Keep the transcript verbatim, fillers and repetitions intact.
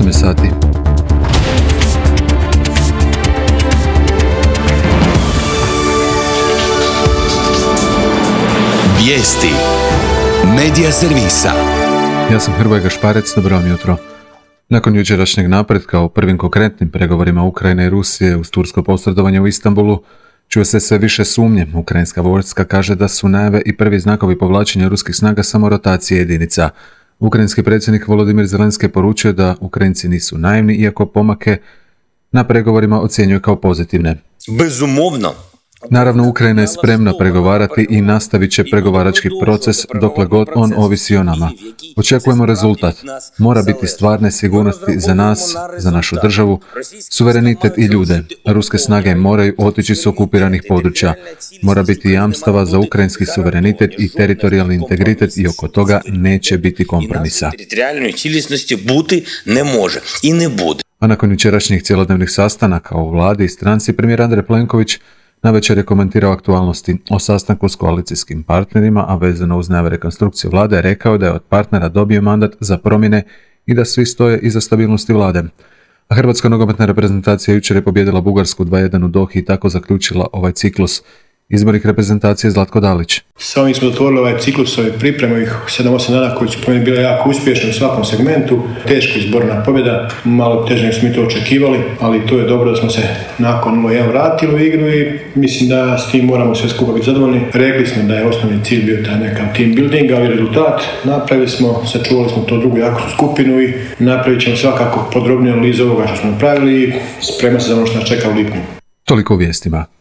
osam sati. Vijesti Medija servisa. Ja sam Hrvoje Gašparec, dobro vam jutro. Nakon jučerašnjeg napretka u prvim konkretnim pregovorima Ukrajine i Rusije uz tursko posredovanje u Istanbulu, čuje se sve više sumnje. Ukrajinska vojska kaže da su najave i prvi znakovi povlačenja ruskih snaga samo rotacije jedinica. Ukrajinski predsjednik Volodimir Zelenski poručio da Ukrajinci nisu naivni, iako pomake na pregovorima ocjenjuje kao pozitivne. Безумовно. Naravno, Ukrajina je spremna pregovarati i nastavit će pregovarački proces dokle god on ovisi o nama. Očekujemo rezultat. Mora biti stvarne sigurnosti za nas, za našu državu, suverenitet i ljude. Ruske snage moraju otići s okupiranih područja. Mora biti jamstava za ukrajinski suverenitet i teritorijalni integritet i oko toga neće biti kompromisa. Територіальної цілісності бути не може і не буде. A nakon jučerašnjih cjelodnevnih sastanaka u vladi i stranci, premijer Andrej Plenković navečer je komentirao aktualnosti o sastanku s koalicijskim partnerima, a vezano uz najave rekonstrukcije vlade, rekao da je od partnera dobio mandat za promjene i da svi stoje iza stabilnosti vlade. A hrvatska nogometna reprezentacija jučer je pobijedila Bugarsku dva jedan u Dohi i tako zaključila ovaj ciklus. Izbornik reprezentacije Zlatko Dalić. S ovim smo otvorili ovaj ciklus, ove pripreme, ovih sedam osam dana koji su po meni bile jako uspješni u svakom segmentu. Teško izborna pobjeda, malo teže smo mi to očekivali, ali to je dobro da smo se nakon nula jedan vratili u igru i mislim da s tim moramo sve skupa biti zadovoljni. Rekli smo da je osnovni cilj bio taj nekav team building, ali rezultat napravili smo, sačuvali smo to drugu jaku skupinu i napravit ćemo svakako podrobnije analizu ovoga što smo napravili i spremamo se za ono što nas čeka u lipnju. Toliko u vijestima.